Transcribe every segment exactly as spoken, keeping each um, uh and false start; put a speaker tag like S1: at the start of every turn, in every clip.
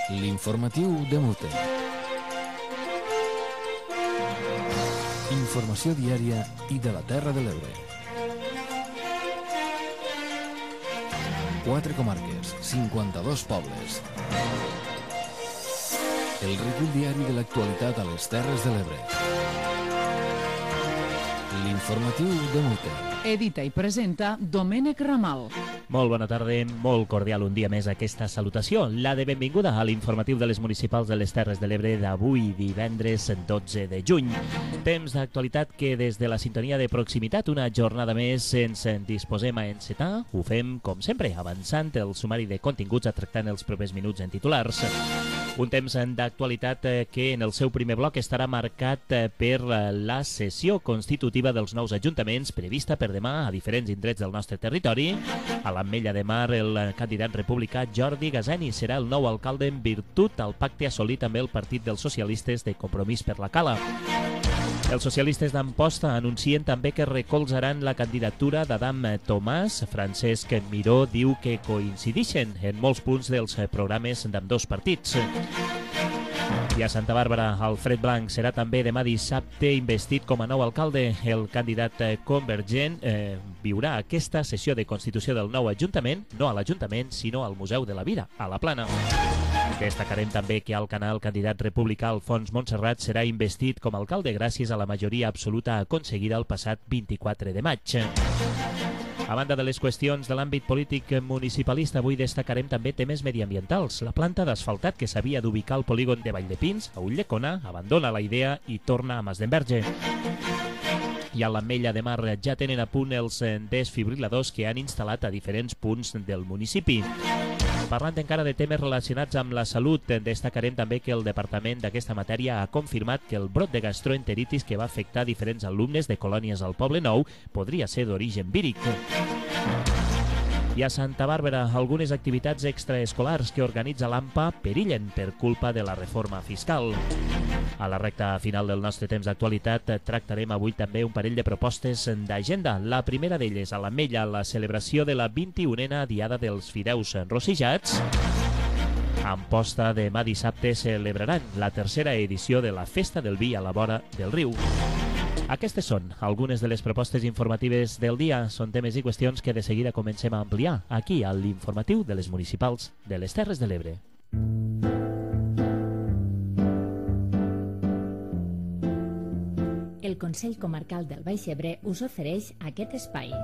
S1: L'informatiu de Multe. Informació diària i de la Terra de l'Ebre. Quatre comarques, cinquanta-dos pobles. El recull diari de l'actualitat a les Terres de l'Ebre. L'informatiu de Multe.
S2: Edita i presenta Domènec Ramal.
S3: Molt bona tarda, molt cordial un dia més aquesta salutació, la de benvinguda a l'informatiu de les municipals de les Terres de l'Ebre d'avui, divendres dotze de juny. Temps d'actualitat que des de la sintonia de proximitat, una jornada més ens disposem a encetar. Ho fem, com sempre, avançant el sumari de continguts a tractar en els propers minuts en titulars. Un temps d'actualitat que en el seu primer bloc estarà marcat per la sessió constitutiva dels nous ajuntaments prevista per demà a diferents indrets del nostre territori. A l'Ametlla de Mar, el candidat republicà Jordi Gazeni serà el nou alcalde en virtut al pacte assolit amb el Partit dels Socialistes de Compromís per la Cala. Els socialistes d'Amposta anuncien també que recolzaran la candidatura d'Adam Tomàs. Francesc Miró diu que coincideixen en molts punts dels programes d'ambdós partits. I a Santa Bàrbara, Alfred Blanc serà també demà dissabte investit com a nou alcalde. El candidat convergent eh, viurà aquesta sessió de constitució del nou ajuntament, no a l'Ajuntament, sinó al Museu de la Vida, a la Plana. Destacarem també que al Canal el candidat republicà Alfons Montserrat serà investit com a alcalde gràcies a la majoria absoluta aconseguida el passat vint-i-quatre de maig. A banda de les qüestions de l'àmbit polític municipalista, avui destacarem també temes mediambientals. La planta d'asfaltat que s'havia d'ubicar al polígon de Valldepins, a Ulldecona, abandona la idea i torna a Masdenverge. I a l'Ametlla de Mar ja tenen a punt els desfibriladors que han instal·lat a diferents punts del municipi. Parlant encara de temes relacionats amb la salut, destacarem també que el departament d'aquesta matèria ha confirmat que el brot de gastroenteritis que va afectar diferents alumnes de colònies al Poble Nou podria ser d'origen víric. I a Santa Bàrbara, algunes activitats extraescolars que organitza l'AMPA perillen per culpa de la reforma fiscal. A la recta final del nostre temps d'actualitat tractarem avui també un parell de propostes d'agenda. La primera d'elles, a l'Ametlla, la celebració de la vint-i-unena Diada dels Fideus Rosijats. A Amposta, demà dissabte celebraran la tercera edició de la Festa del Vi a la vora del riu. Aquestes són algunes de les propostes informatives del dia. Són temes i qüestions que de seguida comencem a ampliar aquí a l'informatiu de les municipals de les Terres de l'Ebre.
S4: El Consell Comarcal del Baix Ebre us ofereix aquest espai.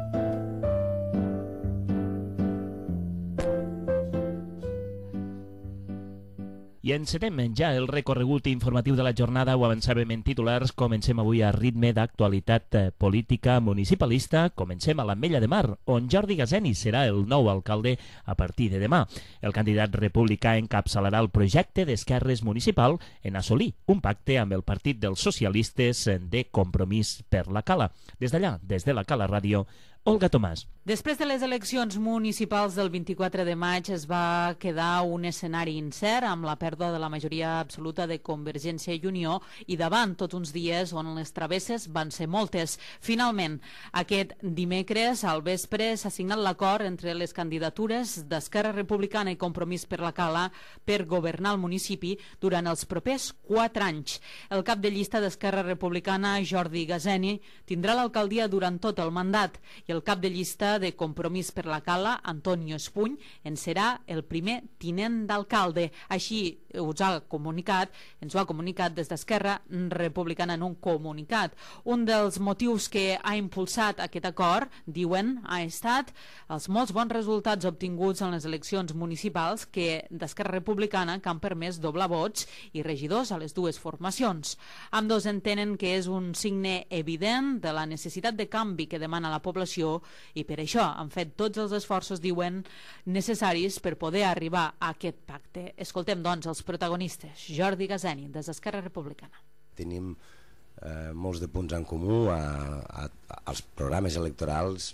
S3: I encetem ja el recorregut informatiu de la jornada. Ho avançàvem en titulars. Comencem avui a ritme d'actualitat política municipalista. Comencem a l'Ametlla de Mar, on Jordi Gazeni serà el nou alcalde a partir de demà. El candidat republicà encapçalarà el projecte d'esquerres municipal en assolir un pacte amb el Partit dels Socialistes de Compromís per la Cala. Des d'allà, des de la Cala Ràdio, Olga Tomàs.
S2: Després de les eleccions municipals del vint-i-quatre de maig es va quedar un escenari incert amb la pèrdua de la majoria absoluta de Convergència i Unió i davant tots uns dies on les travesses van ser moltes. Finalment, aquest dimecres al vespre s'ha signat l'acord entre les candidatures d'Esquerra Republicana i Compromís per la Cala per governar el municipi durant els propers quatre anys. El cap de llista d'Esquerra Republicana, Jordi Gazeni, tindrà l'alcaldia durant tot el mandat i el cap de llista de Compromís per la Cala, Antonio Espuny, en serà el primer tinent d'alcalde. Així us ha comunicat, ens ho ha comunicat des d'Esquerra Republicana en un comunicat. Un dels motius que ha impulsat aquest acord, diuen, ha estat els molts bons resultats obtinguts en les eleccions municipals que d'Esquerra Republicana que han permès doblar vots i regidors a les dues formacions. Ambdós entenen que és un signe evident de la necessitat de canvi que demana la població i per això han fet tots els esforços, diuen, necessaris per poder arribar a aquest pacte. Escoltem, doncs, els protagonistes. Jordi Gazeni, des d'Esquerra Republicana.
S5: Tenim eh, molts de punts en comú a, a, als programes electorals,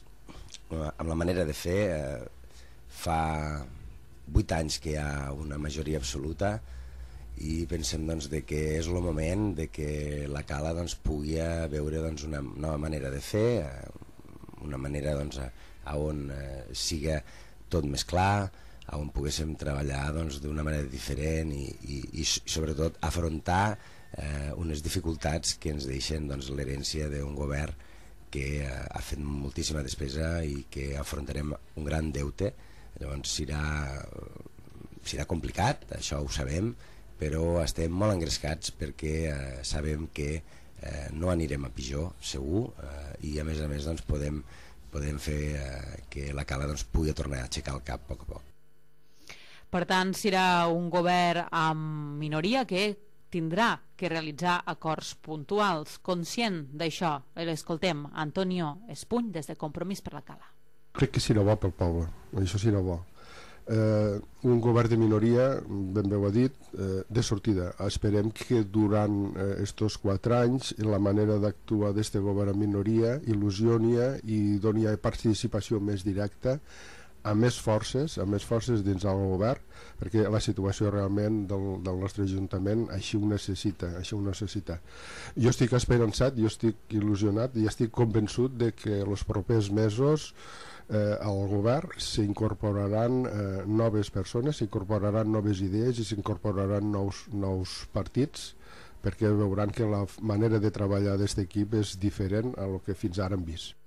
S5: eh, amb la manera de fer. Eh, fa vuit anys que hi ha una majoria absoluta i pensem doncs, de que és el moment de que la Cala doncs, pugui veure doncs, una nova manera de fer, eh, una manera doncs, a, a on eh, siga tot més clar, on poguéssim treballar doncs, d'una manera diferent i, i, i sobretot afrontar eh, unes dificultats que ens deixen doncs, l'herència d'un govern que eh, ha fet moltíssima despesa i que afrontarem un gran deute. Llavors serà, serà complicat, això ho sabem, però estem molt engrescats perquè eh, sabem que eh, no anirem a pitjor, segur, eh, i a més a més doncs, podem, podem fer eh, que la Cala doncs, pugui tornar a aixecar el cap a poc a poc.
S2: Per tant, serà un govern amb minoria que tindrà que realitzar acords puntuals. Conscient d'això, l'escoltem, Antonio Espuny, des de Compromís per la Cala.
S6: Crec que serà bo pel poble, això serà bo. Eh, un govern de minoria, ben bé ho ha dit, eh, de sortida. Esperem que durant aquests eh, quatre anys la manera d'actuar d'aquest govern en minoria il·lusioni i doni participació més directa amb més forces, amb més forces dins del govern, perquè la situació realment del, del nostre Ajuntament així ho necessita, així ho necessita. Jo estic esperançat, jo estic il·lusionat i estic convençut de que els propers mesos eh, al govern s'incorporaran eh, noves persones, s'incorporaran noves idees i s'incorporaran nous, nous partits, perquè veuran que la manera de treballar d'aquest equip és diferent a lo que fins ara hem vist.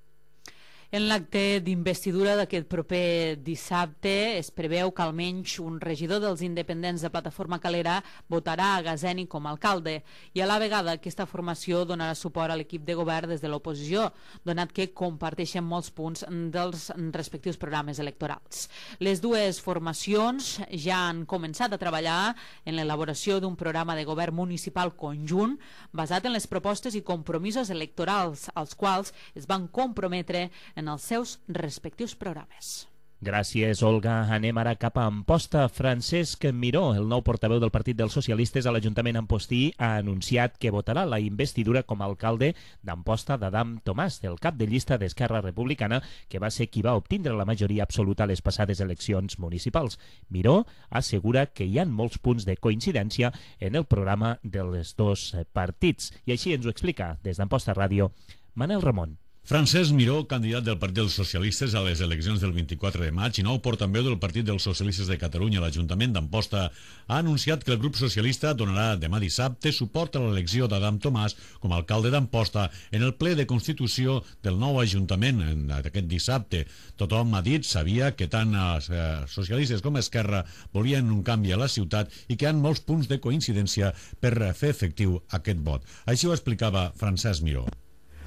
S2: En l'acte d'investidura d'aquest proper dissabte es preveu que almenys un regidor dels independents de Plataforma Calera votarà a Gazeni com a alcalde i a la vegada aquesta formació donarà suport a l'equip de govern des de l'oposició, donat que comparteixen molts punts dels respectius programes electorals. Les dues formacions ja han començat a treballar en l'elaboració d'un programa de govern municipal conjunt basat en les propostes i compromisos electorals als quals es van comprometre en els seus respectius programes.
S3: Gràcies, Olga. Anem ara cap a Amposta. Francesc Miró, el nou portaveu del Partit dels Socialistes a l'Ajuntament Ampostí, ha anunciat que votarà la investidura com a alcalde d'Amposta d'Adam Tomàs, el cap de llista d'Esquerra Republicana, que va ser qui va obtindre la majoria absoluta a les passades eleccions municipals. Miró assegura que hi ha molts punts de coincidència en el programa dels dos partits. I així ens ho explica, des d'Amposta Ràdio, Manel Ramon.
S7: Francesc Miró, candidat del Partit dels Socialistes a les eleccions del vint-i-quatre de maig i nou portaveu del Partit dels Socialistes de Catalunya a l'Ajuntament d'Amposta, ha anunciat que el grup socialista donarà demà dissabte suport a l'elecció d'Adam Tomàs com a alcalde d'Amposta en el ple de constitució del nou Ajuntament d'aquest dissabte. Tothom ha dit, sabia que tant els socialistes com Esquerra volien un canvi a la ciutat i que hi ha molts punts de coincidència per fer efectiu aquest vot. Així ho explicava Francesc Miró.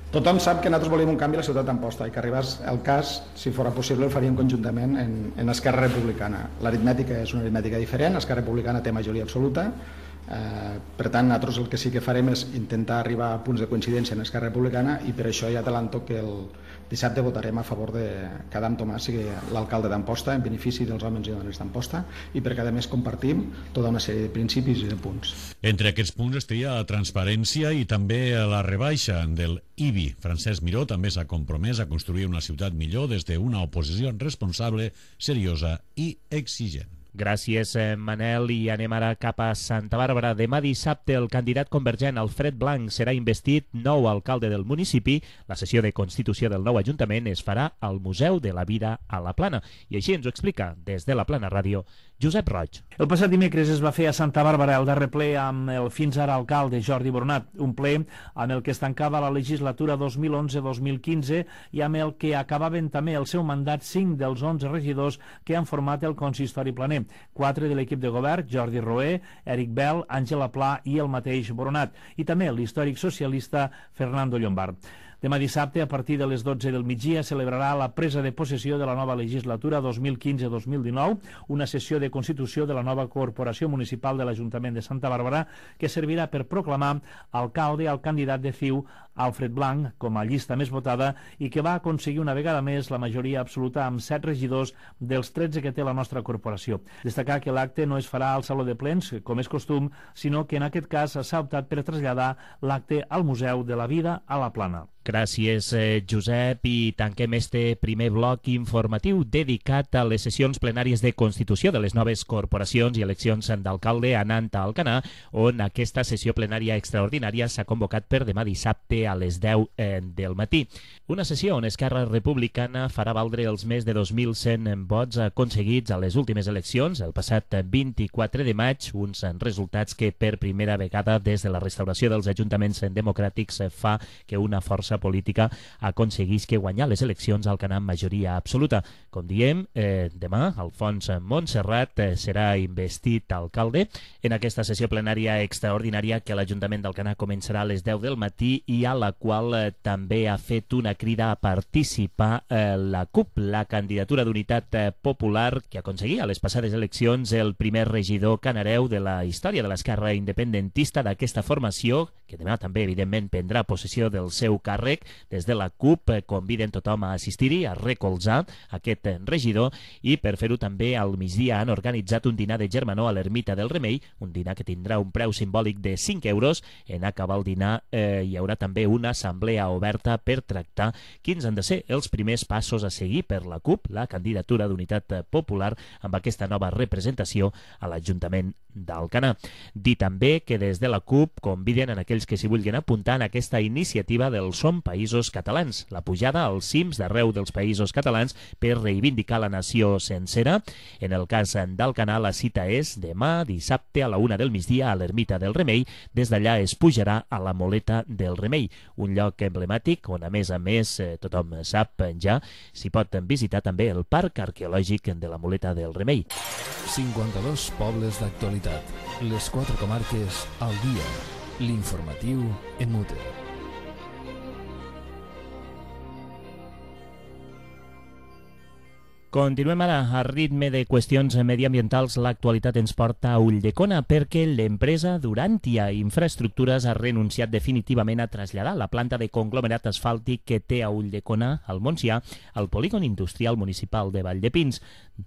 S8: Tothom sap que nosaltres volíem un canvi a la ciutat d'Amposta i que arribés el cas, si fos possible, el faríem conjuntament en, en Esquerra Republicana. L'aritmètica és una aritmètica diferent, Esquerra Republicana té majoria absoluta, eh, per tant, nosaltres el que sí que farem és intentar arribar a punts de coincidència en Esquerra Republicana i per això ja t'adelanto que el dissabte votarem a favor de que Adam Tomàs sigui l'alcalde d'Amposta en benefici dels homes i dones d'Amposta i perquè a més compartim tota una sèrie de principis i de punts.
S7: Entre aquests punts estaria la transparència i també la rebaixa del I B I. Francesc Miró també s'ha compromès a construir una ciutat millor des d'una oposició responsable, seriosa i exigent.
S3: Gràcies, Manel, i anem ara cap a Santa Bàrbara. Demà dissabte el candidat convergent Alfred Blanc serà investit nou alcalde del municipi. La sessió de constitució del nou Ajuntament es farà al Museu de la Vida a la Plana. I així ens ho explica, des de la Plana Ràdio, Josep Roig.
S9: El passat dimecres es va fer a Santa Bàrbara el darrer ple amb el fins ara alcalde Jordi Boronat, un ple amb el que es tancava la legislatura dos mil onze dos mil quinze i amb el que acabaven també el seu mandat cinc dels onze regidors que han format el consistori planer. Quatre de l'equip de govern, Jordi Roé, Eric Bell, Àngela Pla i el mateix Boronat, i també l'històric socialista Fernando Llombard. Demà dissabte, a partir de les dotze del migdia, celebrarà la presa de possessió de la nova legislatura dos mil quinze dos mil dinou, una sessió de constitució de la nova corporació municipal de l'Ajuntament de Santa Bàrbara, que servirà per proclamar alcalde al candidat de C I U, Alfred Blanc, com a llista més votada i que va aconseguir una vegada més la majoria absoluta amb set regidors dels tretze que té la nostra corporació. Destacar que l'acte no es farà al Saló de Plens, com és costum, sinó que en aquest cas s'ha optat per traslladar l'acte al Museu de la Vida a la Plana.
S3: Gràcies, eh, Josep, i tanquem este primer bloc informatiu dedicat a les sessions plenàries de Constitució de les noves corporacions i eleccions d'alcalde anant a Alcanar, on aquesta sessió plenària extraordinària s'ha convocat per demà dissabte a les deu eh, del matí. Una sessió on Esquerra Republicana farà valdre els més de dos mil cent vots aconseguits a les últimes eleccions el passat vint-i-quatre de maig, uns resultats que per primera vegada des de la restauració dels ajuntaments democràtics fa que una força política aconseguís que guanyar les eleccions al Alcanar amb majoria absoluta. Com diem, eh, demà Alfons Montserrat eh, serà investit alcalde en aquesta sessió plenària extraordinària que l'Ajuntament d'Alcanar començarà a les deu del matí i a la qual eh, també ha fet una crida a participar eh, la C U P, la candidatura d'Unitat eh, Popular, que aconseguia a les passades eleccions el primer regidor canareu de la història de l'esquerra independentista d'aquesta formació, que demà també, evidentment, prendrà possessió del seu càrrec. Des de la C U P conviden tothom a assistir-hi, a recolzar aquest regidor, i per fer-ho també al migdia han organitzat un dinar de germanor a l'Ermita del Remei, un dinar que tindrà un preu simbòlic de cinc euros. En acabar el dinar eh, hi haurà també una assemblea oberta per tractar quins han de ser els primers passos a seguir per la C U P, la candidatura d'Unitat Popular, amb aquesta nova representació a l'Ajuntament d'Alcanar. Dir també que des de la C U P conviden a aquells que s'hi vulguin apuntar en aquesta iniciativa del Som Països Catalans, la pujada als cims d'arreu dels països catalans per reivindicar la nació sencera. En el cas d'Alcanar, la cita és demà dissabte a la una del migdia a l'Ermita del Remei. Des d'allà es pujarà a la Moleta del Remei, un lloc emblemàtic on, a més a més, eh, tothom sap ja, s'hi pot visitar també el Parc Arqueològic de la Moleta del Remei.
S1: cinquanta-dos pobles d'actualitat. Les quatre comarques al dia. L'informatiu en Mute.
S3: Continuem ara a ritme de qüestions mediambientals. L'actualitat ens porta a Ulldecona perquè l'empresa Durantia Infraestructures ha renunciat definitivament a traslladar la planta de conglomerat asfàltic que té a Ulldecona, al Montsià, al polígon industrial municipal de Valldepins.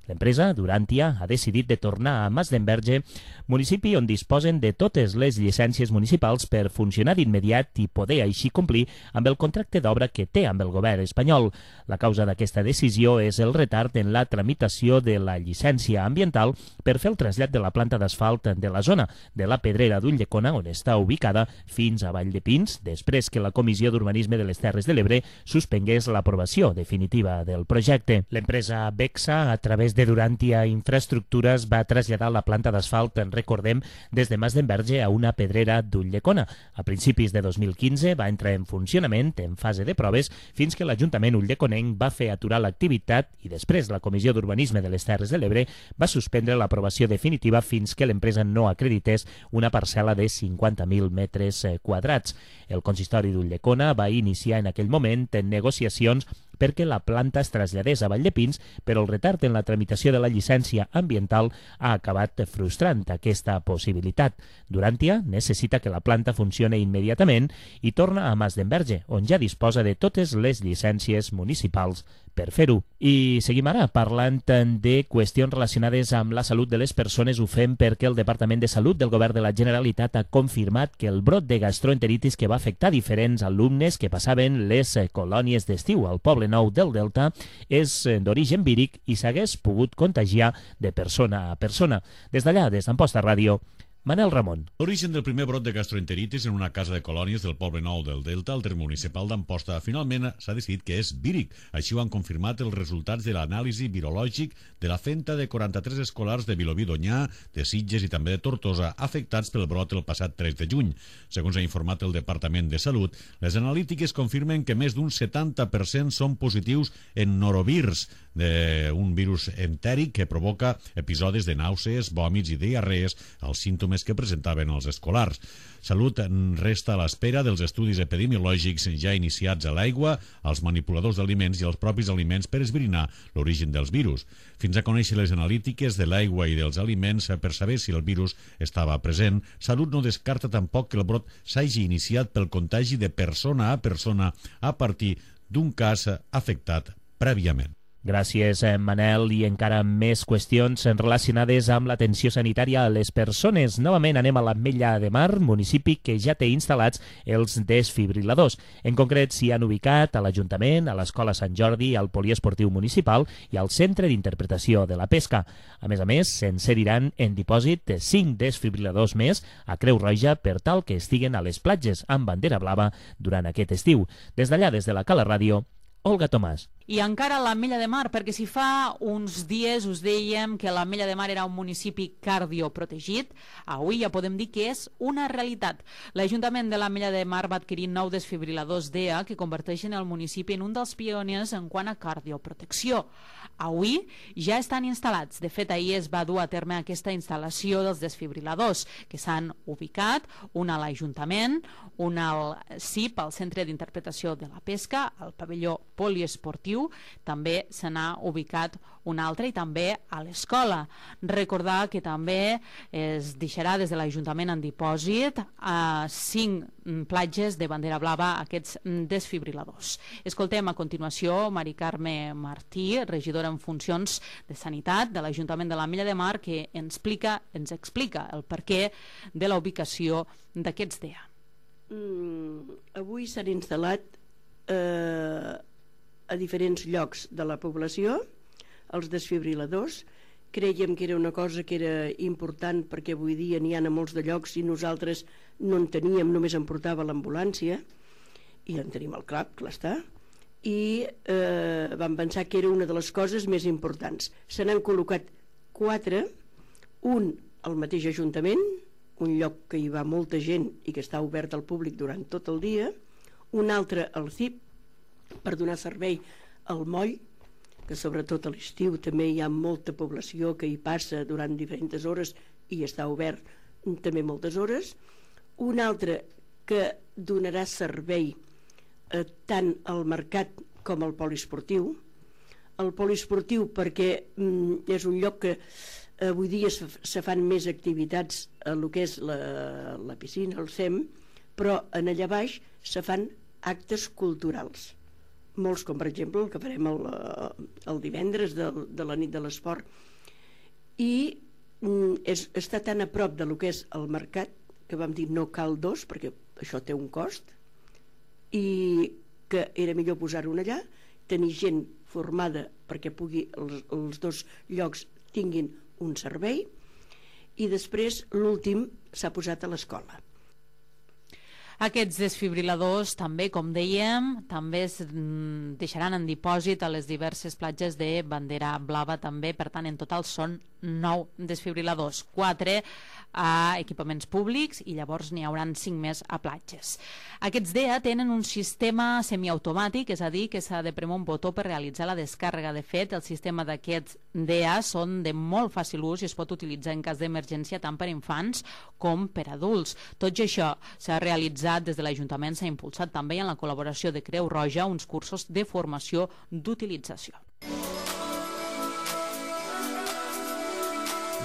S3: L'empresa Durantia ha decidit de tornar a Masdenverge, municipi on disposen de totes les llicències municipals per funcionar d'immediat i poder així complir amb el contracte d'obra que té amb el govern espanyol. La causa d'aquesta decisió és el retard en la tramitació de la llicència ambiental per fer el trasllat de la planta d'asfalt de la zona de la Pedrera d'Ulldecona, on està ubicada, fins a Valldepins, després que la Comissió d'Urbanisme de les Terres de l'Ebre suspengués l'aprovació definitiva del projecte. L'empresa Bexa, a través de Durantia Infraestructures, va traslladar la planta d'asfalt, en recordem, des de Masdenverge a una Pedrera d'Ulldecona. A principis de dos mil quinze va entrar en funcionament en fase de proves fins que l'Ajuntament ulldeconenc va fer aturar l'activitat i després la Comissió d'Urbanisme de les Terres de l'Ebre va suspendre l'aprovació definitiva fins que l'empresa no acredités una parcel·la de cinquanta mil metres quadrats. El consistori d'Ulldecona va iniciar en aquell moment en negociacions perquè la planta es traslladés a Valldepins, però el retard en la tramitació de la llicència ambiental ha acabat frustrant aquesta possibilitat. Durantia necessita que la planta funcione immediatament i torna a Masdenverge, on ja disposa de totes les llicències municipals per fer-ho. I seguim ara parlant de qüestions relacionades amb la salut de les persones. Ho fem perquè el Departament de Salut del Govern de la Generalitat ha confirmat que el brot de gastroenteritis que va afectar diferents alumnes que passaven les colònies d'estiu al Poble Nou del Delta és d'origen víric i s'hagués pogut contagiar de persona a persona. Des d'allà, des d'Amposta Ràdio, Manel Ramon.
S7: L'origen del primer brot de gastroenteritis en una casa de colònies del Poble Nou del Delta, al terme municipal d'Amposta, finalment s'ha decidit que és víric. Així ho han confirmat els resultats de l'anàlisi virològic de la fenta de quaranta-tres escolars de Vilobí d'Onyar, de Sitges i també de Tortosa, afectats pel brot el passat tres de juny. Segons ha informat el Departament de Salut, les analítiques confirmen que més d'un setanta per cent són positius en norovirus, un virus entèric que provoca episodis de nàusees, vòmits i diarrees, els símptomes que presentaven els escolars. Salut resta a l'espera dels estudis epidemiològics ja iniciats a l'aigua, als manipuladors d'aliments i als propis aliments per esbrinar l'origen dels virus. Fins a conèixer les analítiques de l'aigua i dels aliments per saber si el virus estava present, Salut no descarta tampoc que el brot s'hagi iniciat pel contagi de persona a persona a partir d'un cas afectat prèviament.
S3: Gràcies, Manel, i encara més qüestions relacionades amb l'atenció sanitària a les persones. Novament anem a l'Ametlla de Mar, municipi que ja té instal·lats els desfibriladors. En concret, s'hi han ubicat a l'Ajuntament, a l'Escola Sant Jordi, al Poliesportiu Municipal i al Centre d'Interpretació de la Pesca. A més a més, se'n cediran en dipòsit cinc desfibriladors més a Creu Roja per tal que estiguen a les platges amb bandera blava durant aquest estiu. Des d'allà, des de la Cala Ràdio, Olga Tomàs.
S2: I encara l'Ametlla de Mar, perquè si fa uns dies us dèiem que l'Ametlla de Mar era un municipi cardioprotegit, avui ja podem dir que és una realitat. L'Ajuntament de l'Ametlla de Mar va adquirir nou desfibriladors D E A que converteixen el municipi en un dels pioners en quant a cardioprotecció. Avui ja estan instal·lats. De fet, ahir es va dur a terme aquesta instal·lació dels desfibriladors, que s'han ubicat, un a l'Ajuntament, un al C I P, al Centre d'Interpretació de la Pesca, al pavelló poliesportiu, també se n'ha ubicat un altre i també a l'escola. Recordar que també es deixarà des de l'Ajuntament en dipòsit a cinc platges de bandera blava aquests desfibriladors. Escoltem a continuació Mari Carme Martí, regidora en funcions de Sanitat de l'Ajuntament de l'Ametlla de Mar, que ens explica, ens explica el perquè de la ubicació d'aquests D E A.
S10: Mm, avui s'han instal·lat eh, a diferents llocs de la població els desfibriladors. Creiem que era una cosa que era important perquè avui dia n'hi ha a molts de llocs i nosaltres no en teníem, només en portava l'ambulància i en tenim al CLAP, clar està, i eh, vam pensar que era una de les coses més importants. Se n'han col·locat quatre, un al mateix Ajuntament, un lloc que hi va molta gent i que està obert al públic durant tot el dia, un altre al C I P per donar servei al moll, que sobretot a l'estiu també hi ha molta població que hi passa durant diferents hores i està obert també moltes hores, un altre que donarà servei eh, tant al mercat com al poliesportiu. El poliesportiu perquè mm, és un lloc que avui dia se, se fan més activitats a el que és la, la piscina, el C E M, però en allà baix se fan actes culturals. Molts, com per exemple el que farem el, el divendres de, de la nit de l'esport, i mm, és, està tan a prop de lo que és el mercat que vam dir no cal dos perquè això té un cost i que era millor posar-ho allà, tenir gent formada perquè pugui els, els dos llocs tinguin un servei, i després l'últim s'ha posat a l'escola.
S2: Aquests desfibriladors també, com dèiem, també es deixaran en dipòsit a les diverses platges de bandera blava també, per tant en total són nou desfibriladors, quatre a equipaments públics i llavors n'hi hauran cinc més a platges. Aquests D E A tenen un sistema semiautomàtic, és a dir, que s'ha de premar un botó per realitzar la descàrrega. De fet, el sistema d'aquests D E A són de molt fàcil ús i es pot utilitzar en cas d'emergència tant per infants com per adults. Tot això s'ha realitzat des de l'Ajuntament, s'ha impulsat també en la col·laboració de Creu Roja uns cursos de formació d'utilització.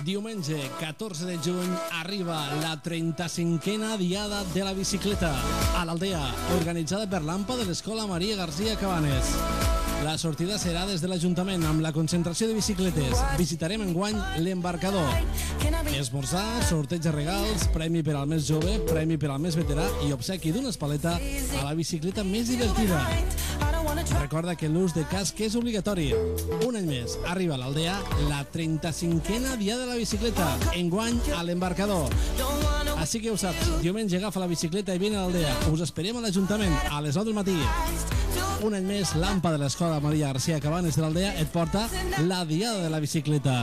S11: Diumenge catorze de juny arriba la trenta-cinquena Diada de la Bicicleta a l'Aldea, organitzada per l'AMPA de l'Escola Maria García Cabanes. La sortida serà des de l'Ajuntament amb la concentració de bicicletes. Visitarem enguany l'embarcador. Esmorzar, sorteig de regals, premi per al més jove, premi per al més veterà i obsequi d'una espaleta a la bicicleta més divertida. Recorda que l'ús de casc és obligatori. Un any més arriba a l'Aldea la trenta-cinquena Diada de la Bicicleta, enguany a l'embarcador. Així que ho saps, diumenge agafa la bicicleta i vine a l'Aldea. Us esperem a l'Ajuntament a les nou del matí. Un any més, l'AMPA de l'Escola Maria García Cabanes de l'Aldea et porta la Diada de la Bicicleta.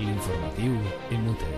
S1: L'informatiu en Mute.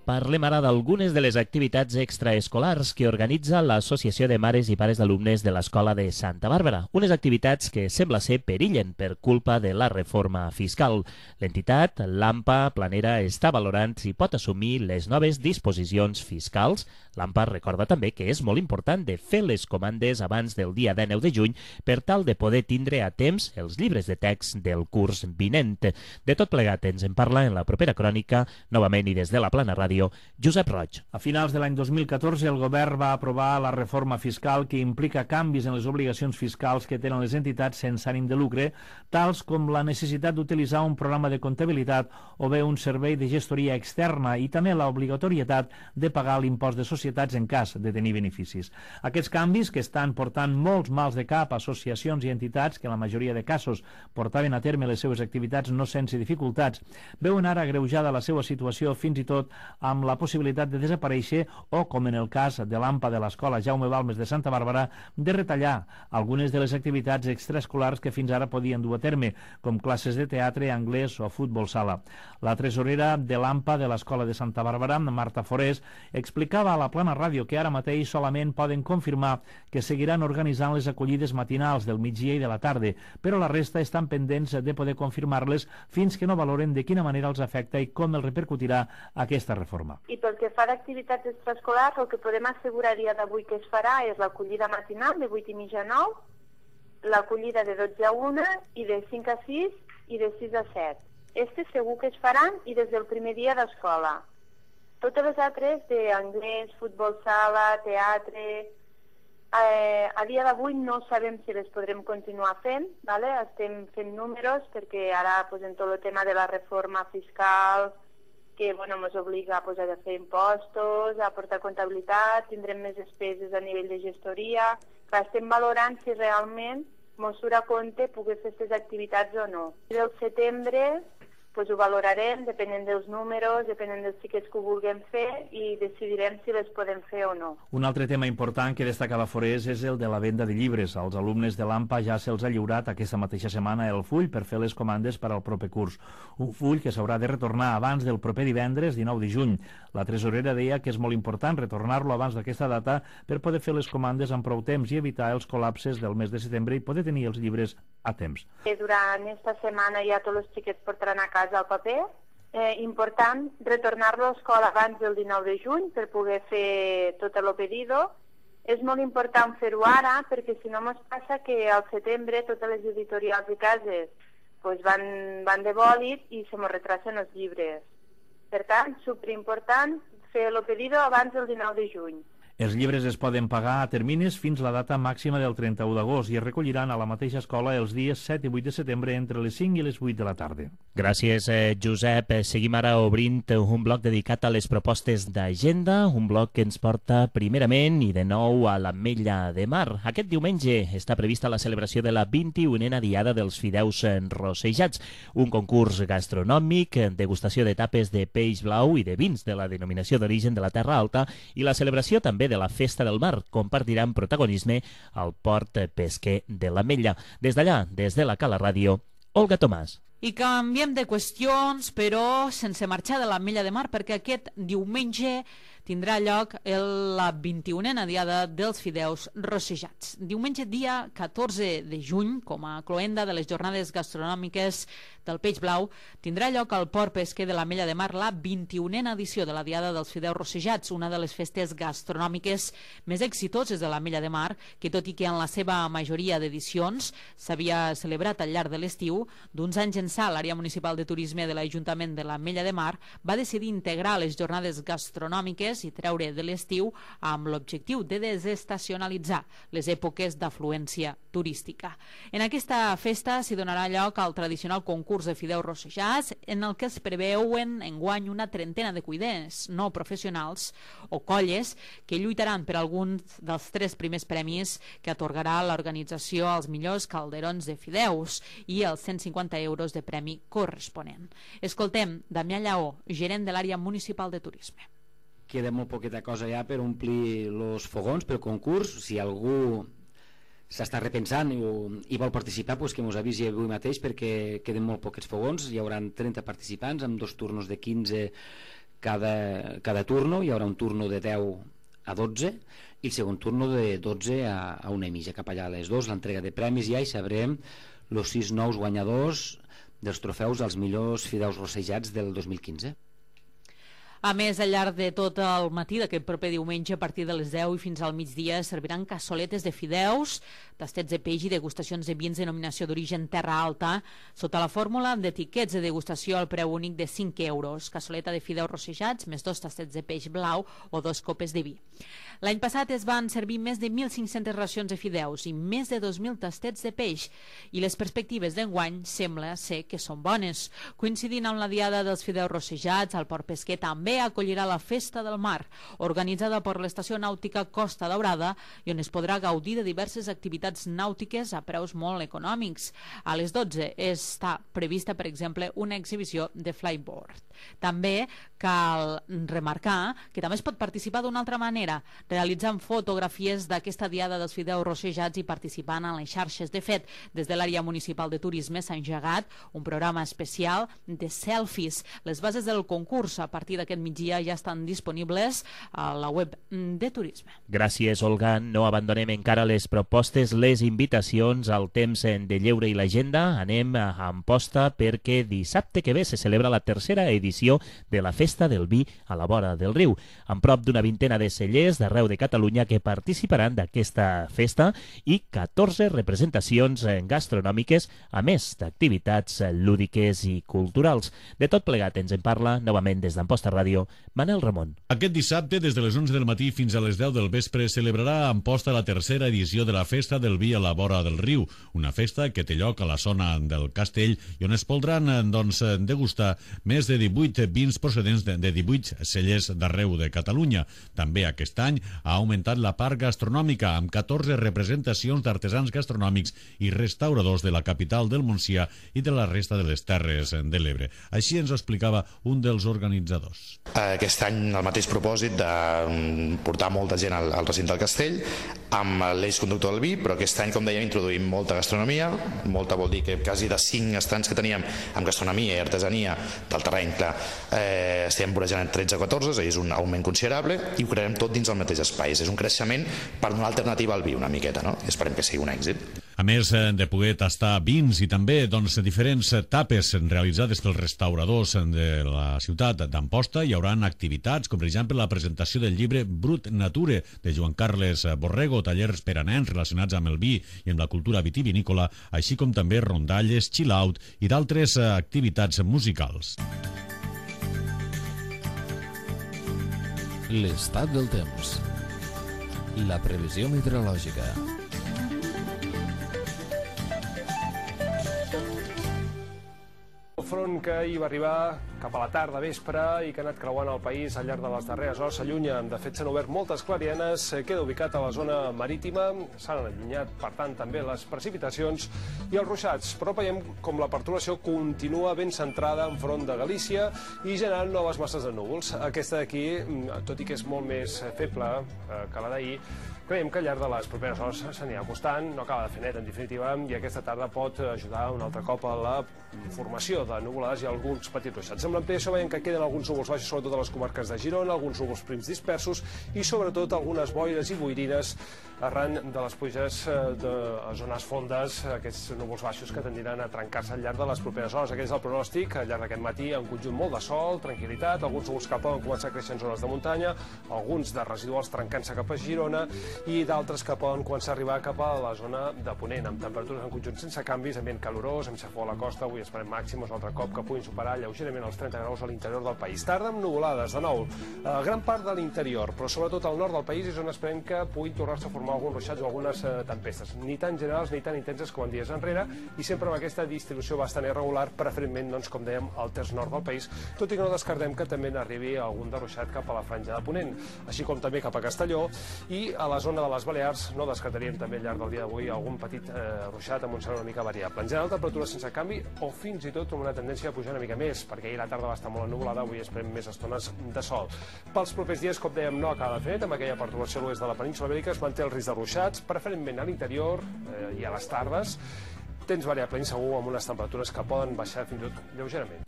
S3: Parlem ara d'algunes de les activitats extraescolars que organitza l'Associació de Mares i Pares d'Alumnes de l'Escola de Santa Bàrbara. Unes activitats que sembla ser perillen per culpa de la reforma fiscal. L'entitat, l'AMPA Planera, està valorant si pot assumir les noves disposicions fiscals. L'AMPA recorda també que és molt important de fer les comandes abans del dia dinou de juny per tal de poder tindre a temps els llibres de text del curs vinent. De tot plegat ens en parla en la propera crònica, novament i des de la Plana Ràdio, Josep Roig.
S9: A finals de l'any dos mil catorze el govern va aprovar la reforma fiscal que implica canvis en les obligacions fiscals que tenen les entitats sense ànim de lucre, tals com la necessitat d'utilitzar un programa de comptabilitat o bé un servei de gestoria externa i també l'obligatorietat de pagar l'impost de societats en cas de tenir beneficis. Aquests canvis, que estan portant molts mals de cap a associacions i entitats que en la majoria de casos portaven a terme les seves activitats no sense dificultats, veuen ara agreujada la seva situació fins i tot amb la possibilitat de desaparèixer o, com en el cas de l'AMPA de l'Escola Jaume Balmes de Santa Bàrbara, de retallar algunes de les activitats extraescolars que fins ara podien dur a terme, com classes de teatre, anglès o futbol sala. La tresorera de l'AMPA de l'Escola de Santa Bàrbara, Marta Forés, explicava a la Plana Ràdio que ara mateix solament poden confirmar que seguiran organitzant les acollides matinals del migdia i de la tarda, però la resta estan pendents de poder confirmar-les fins que no valoren de quina manera els afecta i com els repercutirà aquesta reforma.
S12: I pel que fa d'activitats extraescolars, el que podem assegurar a dia d'avui que es farà és l'acollida matinal de vuit i mitja a nou, l'acollida de dotze a una i de cinc a sis i de sis a set. Este segur que es faran i des del primer dia d'escola. Totes les altres d'anglès, futbol sala, teatre, eh, a dia d'avui no sabem si les podrem continuar fent, ¿vale? Estem fent números perquè ara pues, en tot el tema de la reforma fiscal que bueno, ens obliga pues, a fer impostos, a portar comptabilitat, tindrem més despeses a nivell de gestoria. Clar, estem valorant si realment ens surt a compte poder fer aquestes activitats o no. I del setembre pues, ho valorarem, depenent dels números, depenent dels xiquets que ho vulguem fer i decidirem si les podem fer o no.
S9: Un altre tema important que destacava Forés és el de la venda de llibres. Als alumnes de l'AMPA ja se'ls ha lliurat aquesta mateixa setmana el full per fer les comandes per al proper curs. Un full que s'haurà de retornar abans del proper divendres dinou de juny. La tresorera deia que és molt important retornar-lo abans d'aquesta data per poder fer les comandes amb prou temps i evitar els col·lapses del mes de setembre i poder tenir els llibres a temps.
S12: Durant aquesta setmana ja tots els xiquets portaran a casa el paper. Eh, important retornar-lo a l'escola abans del dinou de juny per poder fer tot el pedido. És molt important fer-ho ara perquè si no ens passa que al setembre totes les editorials i cases pues, van, van de bòlit i se ens retrasen els llibres. Per tant, superimportant fer el pedido abans del dinou de juny.
S9: Els llibres es poden pagar a termnis fins la data màxima del trenta-u d'agost i es recolliran a la mateixa escola els dies set i vuit de setembre entre les cinc i les vuit de la tarda.
S3: Gràcies, eh, Josep. Seguim ara obrint un bloc dedicat a les propostes d'agenda, un bloc que ens porta primerament i de nou a l'Ametlla de Mar. Aquest diumenge està prevista la celebració de la vint-i-unena Diada dels Fideus Rossejats, un concurs gastronòmic, degustació de tapes de peix blau i de vins de la denominació d'origen de la Terra Alta i la celebració també de la Festa del Mar compartiran protagonisme al port pesquer de l'Ametlla. Des d'allà, des de la Cala Ràdio, Olga Tomàs.
S2: I canviem de qüestions, però sense marxar de l'Ametlla de Mar, perquè aquest diumenge tindrà lloc el, la vint-i-unena Diada dels Fideus Rossejats. Diumenge, dia catorze de juny, com a cloenda de les jornades gastronòmiques del Peix Blau, tindrà lloc al Port Pesquer de l'Ametlla de Mar la vint-i-unena edició de la Diada dels Fideus Rossejats, una de les festes gastronòmiques més exitoses de l'Ametlla de Mar, que tot i que en la seva majoria d'edicions s'havia celebrat al llarg de l'estiu, d'uns anys ençà l'àrea municipal de turisme de l'Ajuntament de l'Ametlla de Mar va decidir integrar les jornades gastronòmiques i treure de l'estiu amb l'objectiu de desestacionalitzar les èpoques d'afluència turística. En aquesta festa s'hi donarà lloc al tradicional concurs de fideus rossejats, en el que es preveuen enguany una trentena de cuiners no professionals o colles que lluitaran per alguns dels tres primers premis que atorgarà l'organització als millors calderons de fideus i els cent cinquanta euros de premi corresponent. Escoltem Damià Lleó, gerent de l'àrea municipal de turisme.
S13: Queda molt poqueta cosa ja per omplir els fogons pel concurs. Si algú s'està repensant i, i vol participar, pues que ens avisi avui mateix perquè queden molt poquets fogons. Hi haurà trenta participants amb dos turnos de quinze cada, cada turno. Hi haurà un turno de deu a dotze i el segon turno de dotze a, a una i mitja. Cap allà a les dues, l'entrega de premis ja, i sabrem els sis nous guanyadors dels trofeus als millors fideus rossejats del dos mil quinze.
S2: A més, al llarg de tot el matí d'aquest proper diumenge, a partir de les deu i fins al migdia, serviran cassoletes de fideus, tastets de peix i degustacions de vins de denominació d'origen Terra Alta, sota la fórmula d'etiquets de degustació al preu únic de cinc euros. Cassoleta de fideus rossejats, més dos tastets de peix blau o dos copes de vi. L'any passat es van servir més de mil cinc-centes racions de fideus i més de dos mil tastets de peix, i les perspectives d'enguany sembla ser que són bones. Coincidint amb la diada dels fideus rossejats, el Port Pesquer també acollirà la Festa del Mar, organitzada per l'Estació Nàutica Costa Daurada, i on es podrà gaudir de diverses activitats nàutiques a preus molt econòmics. A les dotze està prevista, per exemple, una exhibició de flyboard. També cal remarcar que també es pot participar d'una altra manera, realitzant fotografies d'aquesta diada dels fideus rossejats i participant en les xarxes. De fet, des de l'àrea municipal de turisme s'ha engegat un programa especial de selfies. Les bases del concurs a partir d'aquest migdia ja estan disponibles a la web de turisme.
S3: Gràcies, Olga. No abandonem encara les propostes, les invitacions al temps de lleure i l'agenda. Anem a Amposta perquè dissabte que ve se celebra la tercera edició de la Festa del Vi a la vora del riu, amb prop d'una vintena de cellers d'arreu de Catalunya que participaran d'aquesta festa i catorze representacions gastronòmiques, a més d'activitats lúdiques i culturals. De tot plegat ens en parla novament des d'Amposta Ràdio, Manel Ramon.
S7: Aquest dissabte, des de les onze del matí fins a les deu del vespre, celebrarà a Amposta la tercera edició de la Festa del Vi a la vora del riu, una festa que té lloc a la zona del Castell i on es podran doncs, degustar més de divuit vins procedents de, de divuit cellers d'arreu de Catalunya. També aquest any ha augmentat la part gastronòmica amb catorze representacions d'artesans gastronòmics i restauradors de la capital del Montsià i de la resta de les Terres de l'Ebre. Així ens ho explicava un dels organitzadors.
S14: Aquest any el mateix propòsit de portar molta gent al, al recinte del Castell amb l'eix conductor del vi, però aquest any, com dèiem, introduïm molta gastronomia. Molta vol dir que quasi de cinc estants que teníem amb gastronomia i artesania del terreny, clar, eh, estem vorejant tretze a catorze, és un augment considerable, i ho crearem tot dins el mateix espai. És un creixement per donar alternativa al vi una miqueta, no? I esperem que sigui un èxit.
S7: A més de poder tastar vins i també doncs, diferents tapes realitzades pels restauradors de la ciutat d'Amposta, hi haurà activitats com per exemple la presentació del llibre Brut Nature de Joan Carles Borrego, tallers per a nens relacionats amb el vi i amb la cultura vitivinícola, així com també rondalles, chill-out i d'altres activitats musicals.
S1: L'estat del temps. La previsió meteorològica.
S15: El front que hi va arribar cap a la tarda, vespre, i que ha anat creuant el país al llarg de les darreres hores s'allunya. De fet, s'han obert moltes clarianes, queda ubicat a la zona marítima, s'han allunyat, per tant, també les precipitacions i els ruixats, però veiem com la perturbació continua ben centrada enfront de Galícia i generant noves masses de núvols. Aquesta d'aquí, tot i que és molt més feble que la d'ahir, creiem que al llarg de les properes hores s'anirà acostant, no acaba de fer net en definitiva, i aquesta tarda pot ajudar un altre cop a la formació de nuvolades i alguns petits ruixats. Amb l'ampliació veiem que queden alguns núvols baixos, sobretot a les comarques de Girona, alguns núvols prims dispersos i sobretot algunes boires i boirines arran de les pluges de zones fondes, aquests núvols baixos que tendiran a trencar-se al llarg de les properes hores. Aquest és el pronòstic, al llarg d'aquest matí, en conjunt molt de sol, tranquil·litat, alguns núvols que poden començar a créixer en zones de muntanya, alguns de residuals trencant-se cap a Girona i d'altres que poden començar a arribar cap a la zona de Ponent, amb temperatures en conjunt sense canvis, ambient calorós, amb xafó a la costa, avui esperem màxims un altre cop que puguin superar lleugerament els trenta graus a l'interior del país. Tarda amb nuvolades, de nou, a gran part de l'interior, però sobretot al nord del país és on esperem que puguin tornar-se a formar alguns ruixats o algunes eh, tempestes, ni tan generals ni tan intenses com en dies enrere, i sempre amb aquesta distribució bastant irregular, preferentment, doncs, com dèiem, al terç nord del país, tot i que no descartem que també n'arribi algun de ruixat cap a la franja de Ponent, així com també cap a Castelló, i a la zona de les Balears no descartaríem també al llarg del dia d'avui algun petit eh, ruixat amb un cel una mica variable. En general, temperatures sense canvi o fins i tot amb una tendència a pujar una mica més, perquè ahir la tarda va estar molt ennuvolada, avui esperem més estones de sol. Pels propers dies, com dèiem, no acaba de fer net, amb aquella perturbació a l'oest de la península Ibèrica es manté el risc de ruixats, preferentment a l'interior eh, i a les tardes. Temps variable insegur amb unes temperatures que poden baixar fins i tot lleugerament.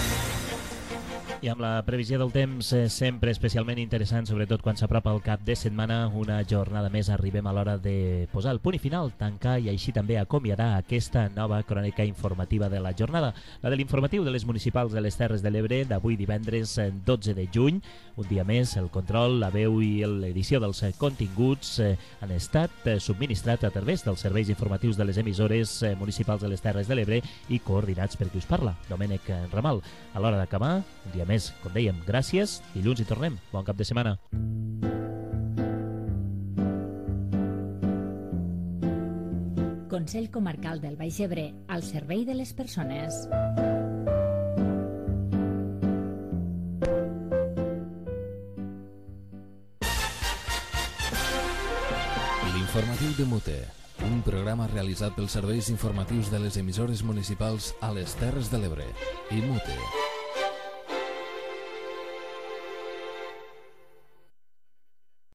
S3: I amb la previsió del temps eh, sempre especialment interessant, sobretot quan s'apropa el cap de setmana, una jornada més arribem a l'hora de posar el punt i final, tancar i així també acomiadar aquesta nova crònica informativa de la jornada, la de l'informatiu de les municipals de les Terres de l'Ebre d'avui divendres dotze de juny. Un dia més, el control, la veu i l'edició dels continguts eh, han estat eh, subministrats a través dels serveis informatius de les emissores eh, municipals de les Terres de l'Ebre i coordinats per qui us parla, Domènec Ramal. A l'hora d'acabar, un dia més, com dèiem, gràcies, dilluns hi tornem. Bon cap de setmana.
S4: Consell Comarcal del Baix Ebre, al servei de les persones.
S1: L'informatiu de Mute, un programa realitzat pels serveis informatius de les emissores municipals a les Terres de l'Ebre i Mute.